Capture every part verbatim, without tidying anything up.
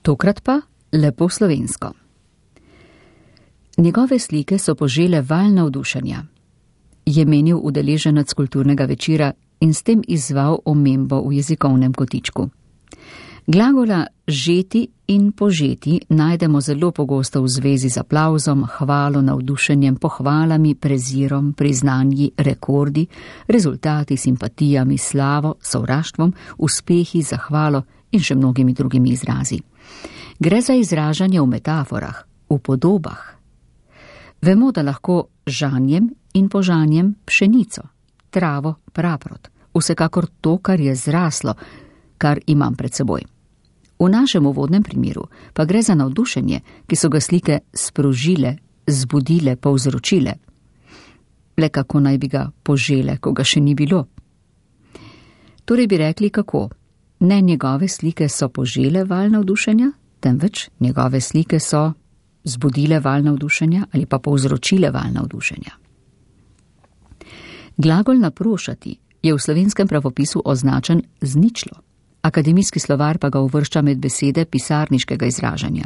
Tokrat pa lepo slovensko. Njegove slike so požele val navdušenja, je menil udeleženec kulturnega večera in s tem izzval omembo v jezikovnem kotičku. Glagola žeti in požeti najdemo zelo pogosto v zvezi z aplavzom, hvalo, navdušenjem, pohvalami, prezirom, priznanji, rekordi, rezultati, simpatijami, slavo, sovraštvom, uspehi, zahvalo in še mnogimi drugimi izrazi. Gre za izražanje v metaforah, v podobah. Vemo, da lahko žanjem in požanjem pšenico, travo, praprot, vsekakor to, kar je zraslo, kar imam pred seboj. V našem uvodnem primeru pa gre za navdušenje, ki so ga slike sprožile, zbudile, povzročile. Le kako naj bi ga požele, ko ga še ni bilo? Torej bi rekli kako? Ne njegove slike so požele val navdušenja, temveč njegove slike so zbudile val navdušenja ali pa povzročile val navdušenja. Glagol naprošati je v slovenskem pravopisu označen z ničlo. Akademijski slovar pa ga uvršča med besede pisarniškega izražanja.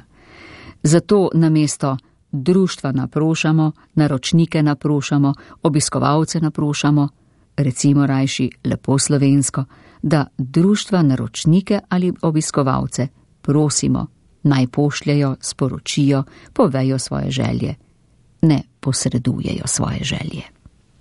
Zato namesto društva naprošamo, naročnike naprošamo, obiskovalce naprošamo, recimo rajši lepo slovensko, da društva naročnike ali obiskovalce prosimo, naj pošljajo, sporočijo, povejo svoje želje, ne posredujejo svoje želje.